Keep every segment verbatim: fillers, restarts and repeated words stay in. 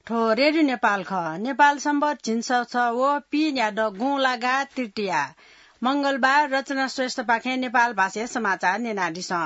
थ्व रेडियो नेपाल खः। नेपाल सम्बत झिंछसः व पीन्यादँ गुंलागा तृतीया, मंगलबार। रचना श्रेष्ठपाखें नेपाल भाषाय् समाचार न्यनादिसँ।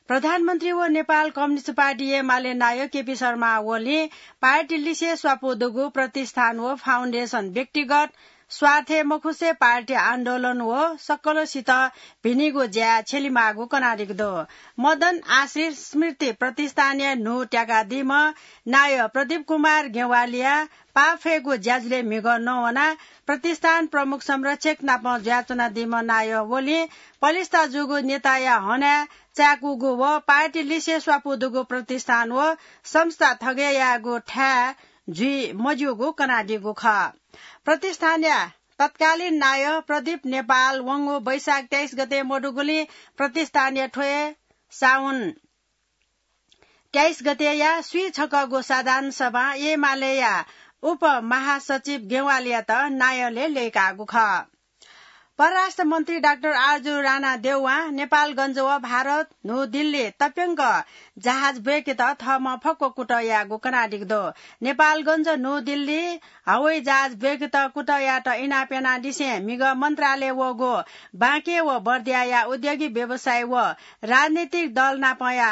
प्रधानमन्त्री व नेपाल कम्युनिस्ट पार्टी एमाले नायः केपी शर्मा ओलीं पार्टी लिसे स्वापू दुगु प्रतिष्ठान व फाउन्डेसन व्यक्तिगत स्वार्थय् मखुसे पार्टी आन्दोलन व सकलसित भिनिगु ज्याय् छ्यलिमाःगु कनादीगु दु। मदन आश्रित स्मृति प्रतिष्ठानया न्हू त्याकादीम्ह नायः प्रदीप कुमार गेवालीया पाफय्‌गु ज्याझ्वलय् म्हिगः नवनाः प्रतिष्ठान प्रमुख संरक्षक नाप जुयाच्वनादीम्ह नायः ओलीं पलिस्था जूगु नेताया हनाय् चाय्‌कूगु व पार्टी लिसे स्वापू दुगु प्रतिष्ठान व संस्था थगय् यायेगु थाय् जुइ मज्यूगु कनादीगु खः। प्रतिष्ठानया तत्कालीन नायः प्रदीप नेपाल वंगु वैशाख तेइस गते मदुगुलिं प्रतिष्ठानया थ्व हे साउन तेइस गतेया स्वीछकःगु साधारण सभां एमालेया उपमहासचिव गेवालीयात नायःलय् लय्‌काःगु खः। परराष्ट्र मन्त्री डाक्टर आरजु राणा देउवां नेपालगञ्ज व भारत न्हू दिल्ली तप्यंक जहाज ब्वय्‌केत थःम्हं फक्व कुतः याःगु कनादीगु दु। नेपालगञ्ज न्हू दिल्ली हवाई जहाज ब्वय्‌केत कुतः यायेत इनाप यानादिसें म्हिगः मन्त्रालय वःगु बाँके व बर्दियाया उद्योगी व्यवसायी व राजनीतिक दल नापया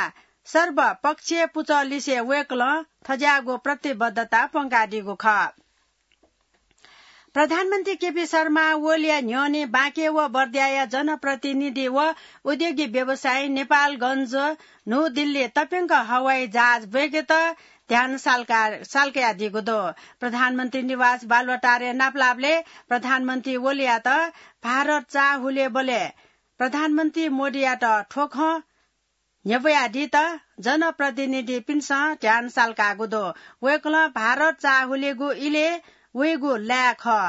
सर्वपक्षीय पुचः लिसे वय्‌कलं थज्याःगु प्रतिबद्धता प्वंकादीगु खः। प्रधानमन्त्री केपी शर्मा ओलीया न्ह्यःने बाँके व बर्दियाया जनप्रतिनिधि व उद्योगी व्यवसायी नेपालगञ्ज न्हू दिल्ली तप्यंक हवाई जहाज ब्वय्‌केत ध्यान साल्का-, साल्कयादीगु दु। प्रधानमन्त्री निवास बालुवाटारय् नापलाःबलय् प्रधानमन्त्री ओलीयात भारत चाःहुलेबलय् प्रधानमन्त्री मोदीयात थ्व खँ न्ह्यब्वयादीत जनप्रतिनिधिपिन्सं ध्यान साल्काःगु दु। वय्‌कलं भारत चाःहुलेगु इलय् वइगु लाय् खः।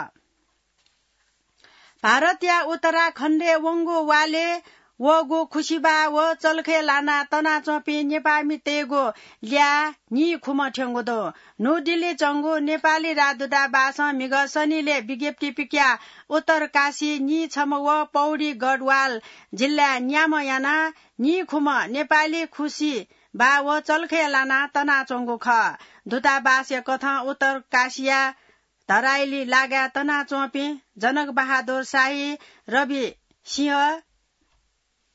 भारतया उत्तराखण्डय् वंगु वालय् वःगु खुसिबाः व चल्खय् लानाः तनाच्वंपिं नेपाःमितय्‌गु ल्याः नीखुम्ह थ्यंगु दु। न्हू दिल्ली च्वंगु नेपाली राजदूतावासं म्हिगः सनिलय् विज्ञप्ति पिकयाः उत्तरकाशी नीछम्ह व पौडी गढवाल जिल्लाय् न्याम्ह यानाः नीखुम्ह नेपाली खुसिबाः व चल्खय् लानाः तनाच्वंगु खः। दूतावासया कथं उत्तरकाशीया धराइली लागाय् तनाच्वंपिं जनक बहादुर शाही, रवि सिंह,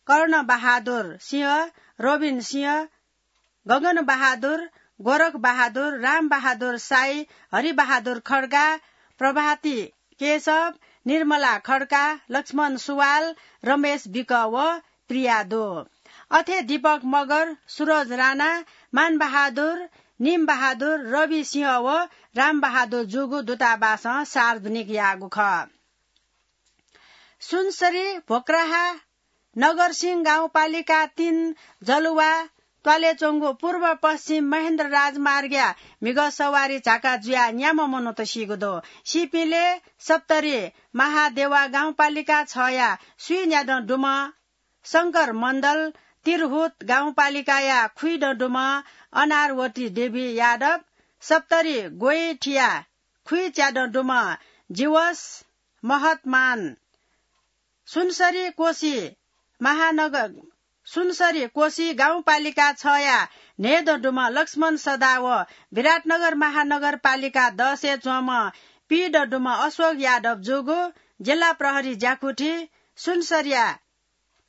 कर्ण बहादुर सिंह, रोबिन सिंह, गगन बहादुर, गोरख बहादुर, राम बहादुर शाही, हरि बहादुर खड्का, प्रभाती केशव, निर्मला खड्का, लक्ष्मण सुवाल, रमेश विक व प्रिया दु। अथे दीपक मगर, सुरज राणा, मान बहादुर, निम बहादुर, रवि सिंह व राम बहादुर जूगु दूतावासं सार्वजनिक याःगु खः। सुनसरी, भोक्राहा, नगरसिंह गाउँपालिका तीन जलुवा त्वालय् च्वंगु पूर्व पश्चिम महेन्द्र राजमार्गया म्हिगः सवारी झाका जुयाः न्याम्ह मनूत सीगु दु। सीपिंलय् सप्तरी महादेवा गाउँपालिका छया स्वीन्यादँ दुम्ह शंकर मण्डल, तिरहुत गाउँपालिकाया खुइदँ दुम्ह अनारवती देवी यादव, सप्तरी गोइठिया खुइच्यादँ दुम्ह जीवस महतमान, सुनसरी कोशी महानगर, सुनसरी कोशी गाउँपालिका छया न्हय्दँ दुम्ह लक्ष्मण सदा व विराटनगर महानगरपालिका दसय् च्वंम्ह पीदँ दुम्ह अशोक यादव जूगु जिल्ला प्रहरी ज्याकुथि सुनसरीया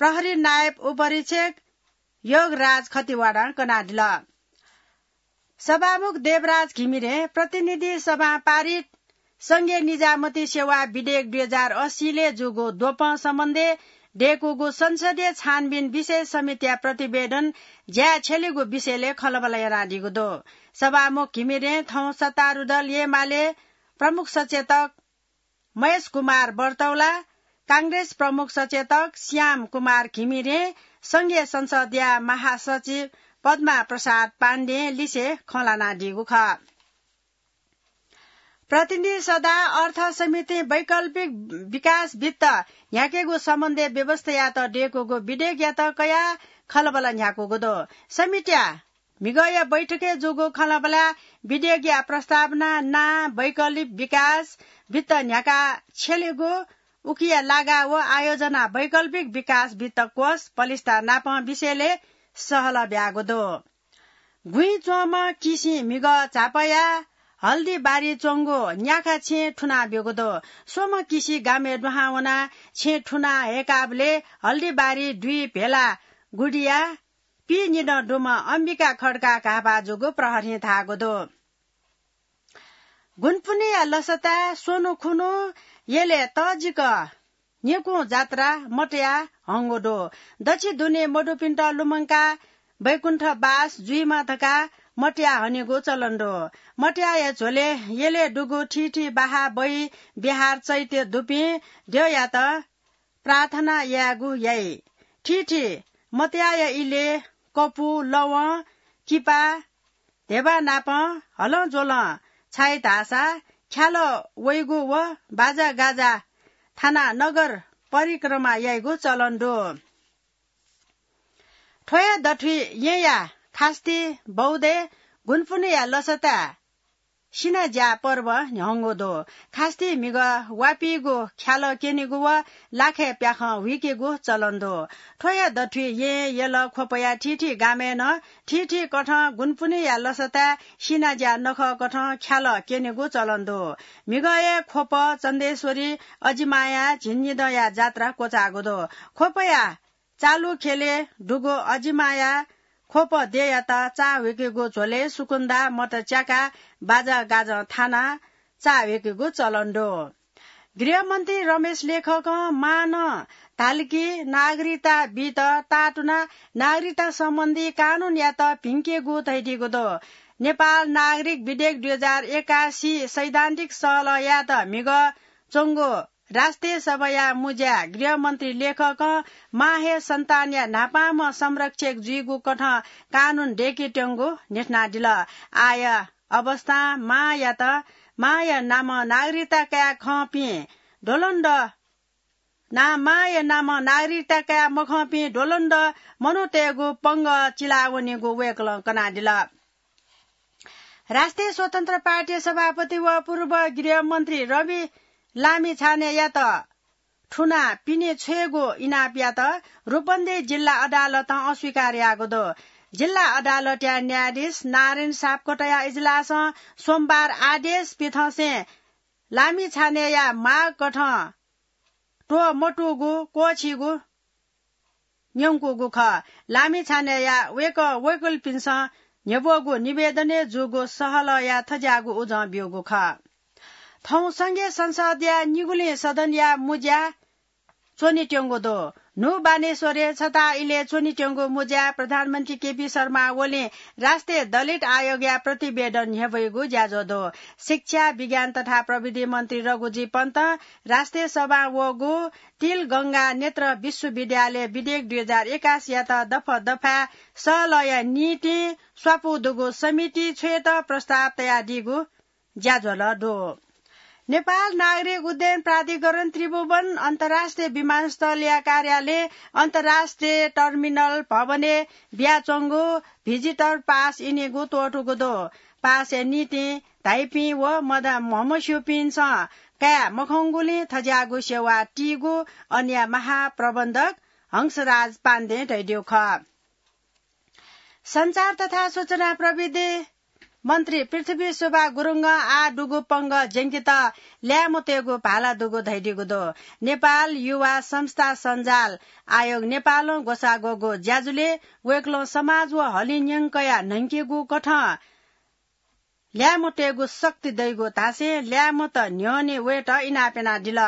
प्रहरी नायब उपरीक्षक योगराज खतिवडां कनादिल। सभामुख देवराज घिमिरें प्रतिनिधि सभां पारित संघीय निजामती सेवा विधेयक दुई हजार अस्सीलय् जूगु द्वपं सम्बन्धय् दय्कूगु संसदीय छानबिन विशेष समितिया प्रतिवेदन ज्याय् छ्यलेगु विषयलय् खँल्हाबल्हा यानादीगु दु। सभामुख घिमिरें थौं सत्तारूढ दल एमाले प्रमुख सचेतक महेश कुमार बर्तौला, कांग्रेस प्रमुख सचेतक श्याम कुमार घिमिरें, संघीय संसदया महासचिव पद्मा प्रसाद पाण्डें लिसे खँ ल्हानादीगु खः। प्रतिनिधि सभा अर्थ समितिं वैकल्पिक विकास वित्त न्ह्याकेगु सम्बन्धी व्यवस्थायात दय्कूगु विधेयकयात कयाः खँल्हाबल्हा न्ह्याकूगु दु। समितिया म्हिगःया बैठकय् जूगु खँल्हाबल्हाय् विधेयकया प्रस्तावना नां वैकल्पिक विकास वित्त न्ह्याका छ्यलेगु उकिया लागा व आयोजना वैकल्पिक विकास वित्त कोष पलिस्था नापं विषयलय् सहलह ब्याःगु दु। गुँइ च्वंम्ह किसिं म्हिगः झापया हल्दीबारी च्वंगु न्याखा छेँ थुना ब्यूगु दु। स्वम्ह किसि गामय् दुहां वनाः छेँ थुना हय्काःबलय् हल्दीबारी दुई भेला गुडिया पीनिदँ दुम्ह अम्बिका खड्का घाःपाः जूगु प्रहरीं धाःगु दु। गुनपुनेया लसताय् स्वन्हु खुन्हु यलय् तःजिक निकुं जात्रा मतया हंगु दु। दच्छि दुने मदुपिन्त लुमंकाः वैकुण्ठवास जुइमा धकाः मतया हनेगु चलन दु। मतयाया झ्वलय् यलय् दुगु थीथी बाहा बहि बिहार चैत्य दुपिं द्यःयात प्रार्थना यायेगु याइ। थीथी मतयाया इलय् कपु, लवं, किपा, धेबा नापं हलंज्वलं छाइ धाःसा ख्यालः वइगु व बाजागाजा थानाः नगर परिक्रमा याइगु चलन दु। थ्व हे दथुइ येँया खास्ती बौद्धय् गुनपुनेया लसताय् सिनाज्या पर्व न्ह्यंगु दु। खास्ती म्हिगः वापीगु ख्यालः क्यनेगु व लाखय् प्याखं हुइकेगु चलन दु। थ्व हे दथुइ येँ, यल, ख्वपया थीथी गामय् नं थीथी कथं गुनपुनेया लसताय् सिनाज्या नखः कथं ख्यालः क्यनेगु चलन दु। म्हिगःया ख्वप चन्देश्वरी अजिमाया झिंनिदँया जात्रा क्वचाःगु दु। ख्वपया चालु ख्यलय् दुगु अजिमाया ख्वप देय्‌यात चाःहुइकेगु झ्वलय् सुकुन्दा मत च्याकाः बाजागाजं थानाः चाःहुइकेगु चलन दु। गृहमन्त्री रमेश लेखकं मां नं धालकी नागरिकता बीत तातुनाः नागरिकता सम्बन्धी कानूनयात भिंकेगु धयादीगु दु। नेपाल नागरिक विधेयक दुई हजार एकासी सैद्धान्तिक सहलह यायेत म्हिगः च्वंगु राष्ट्रिय सभाया मुँज्या गृहमन्त्री लेखकं मां हे सन्तानया न्हापांम्ह संरक्षक जुइगु कथं कानून दय्‌केत्यंगु न्ह्यथनादिल। आःया अवस्थां मांयात, मांया नामं नागरिकता काये खंपिं द्वलंद्वः, ना, मांया नामं नागरिकता काये मखंपिं द्वलंद्वः मनूतय्‌गु पंगः चिलावनीगु वय्‌कलं कनादिल। राष्ट्रिय स्वतन्त्र पार्टी सभापति व पूर्व गृहमन्त्री रवि लामिछानेयात थुनाः पिने छ्वयेगु इनाप यात रूपन्देही जिल्ला अदालतं अस्वीकार याःगु दु। जिल्ला अदालतया न्यायाधीश नारायण सापकोटाया इजलासं सोमबार आदेश पिथंसें लामिछानेया माग कथं त्वःमतूगु क्वःछीगु न्यंकूगु खः। लामिछानेया वय्‌कः वकिलपिन्सं न्ह्यब्वःगु निवेदनय् जूगु सहलहया थज्याःगु उजं ब्यूगु खः। थौं संघीय संसदया निगुलिं सदनया मुँज्या च्वनेत्यंगु दु। न्हू बानेश्वरय् छता इलय् च्वनेत्यंगु मुँज्या प्रधानमन्त्री केपी शर्मा ओलीं राष्ट्रिय दलित आयोगया प्रतिवेदन न्ह्यब्वइगु ज्याझ्वः दु। शिक्षा, विज्ञान तथा प्रविधि मन्त्री रघुजी पन्तं राष्ट्रिय सभां वःगु तिलगंगा नेत्र विश्वविद्यालय विधेयक दुई हजार एकासीयात दफा दफाय् सहलहया निंतिं स्वापू दुगु समिति छ्वयेत प्रस्ताव तयादीगु ज्याझ्वलय् दु। नेपाल नागरिक उड्डयन प्राधिकरण त्रिभुवन अन्तर्राष्ट्रिय विमानस्थलया कार्यालय अन्तर्राष्ट्रिय टर्मिनल भवनय् बियाच्वंगु भिजिटर पास इनेगु त्वःतूगु दु। पासया निंतिं धाइपिं व मदा-, म्हमस्यूपिन्सं काये मखंगुलिं थज्याःगु सेवा तीगु अन्य महाप्रबन्धक हंसराज पाण्डें धयादीगु खः। सञ्चार तथा सूचना प्रविधि मन्त्री पृथ्वी शोभा गुरुङं आः दुगु पंगः ज्यंकेत ल्याय्म्हतय्‌गु भाला दुगु धयादीगु दु। नेपाल युवा संस्था सञ्जाल आयोग नेपालं ग्वसाः ग्वःगु ज्याझ्वलय् वय्‌कलं समाज व हलिं न्यंकया न्हंकेगु कथं ल्याय्म्हतय्‌गु शक्ति दइगु धासें ल्याय्म्हत न्ह्यःने वयेत इनाप यानादिल।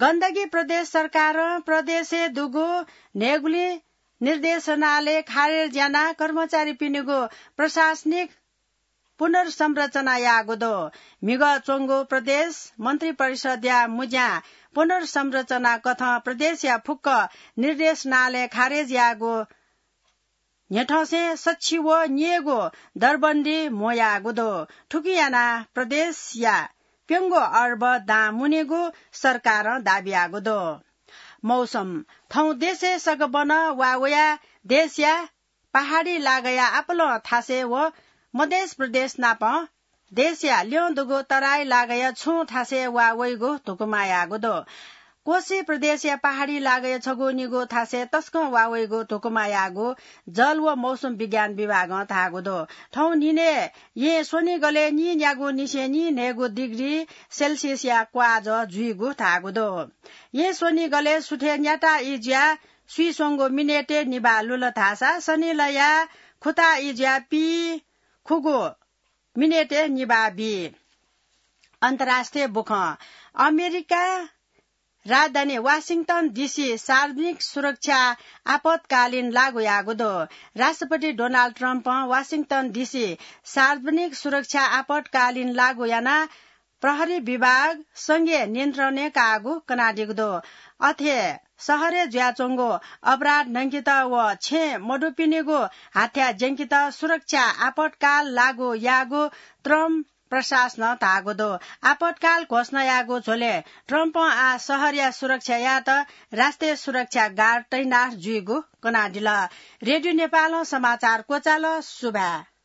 गण्डकी प्रदेश सरकारं प्रदेशय् दुगु न्हय्‌गुलिं निर्देशनालय खारेज यानाः कर्मचारीपिनिगु प्रशासनिक पुनर्संरचना याःगु दु। म्हिगः च्वंगु प्रदेश मन्त्रिपरिषद्‌या मुँज्यां पुनर्संरचना कथं प्रदेशया फुक्क निर्देशनालय खारेज याःगु न्ह्यथंसें सच्छि व न्यय्‌गू दरबन्दी म्हो याःगु दु। थुकिं यानाः प्रदेशया प्यंगू अर्ब दां मुनेगु सरकारं दाबी याःगु दु। मौसम। थौं देशय् सकबनं वा वयाः देशया पहाडी लागाया आपालं थासय् व मधेश प्रदेश नाप देशया ल्यं दुगु तराई लागाया छुं थासय् वा वइगु धुकुमा याःगु दु। कोशी प्रदेशया पहाडी लागय् छगू निगू थासय् तसकं वा वइगु धुकुमा याःगु जल व मौसम विज्ञान विभागं धाःगु दु। थौं न्हिनय् येँ स्वनिगलय् नीन्यागू निसें नीन्हय्गू डिग्री सेल्सियसया क्वाजः जुइगु धाःगु दु। येँ स्वनिगलय् सुथय् न्याता इज्या सुइस्वंगु मिनेटय् निभाः लुल धाःसा सनिलया खुता इज्या पीखुगू मिनेटय् निभाः बी। अन्तर्राष्ट्रिय बुखँ। अमेरिका राजधानी वाशिंगटन डिसी सार्वजनिक सुरक्षा आपतकालीन लागू याःगु दु। राष्ट्रपति डोनाल्ड ट्रम्पं वाशिंगटन डिसी सार्वजनिक सुरक्षा आपतकालीन लागू यानाः प्रहरी विभाग संघीय नियन्त्रणय् काःगु कनादीगु दु। अथे शहरय् जुयाच्वंगु अपराध न्हंकेत व छेँ मदुपिनिगु हाथ्या ज्यंकेत सुरक्षा आपतकाल लागू याःगु ट्रम्प प्रशासनं धाःगु दु। आपतकाल घोषणा याःगु झ्वलय् ट्रम्पं आः शहरया सुरक्षा यायेत राष्ट्रिय सुरक्षा गार्ड तैनाथ जुइगु कनादिल। रेडियो नेपालं समाचार क्वचाल। सुभाय्।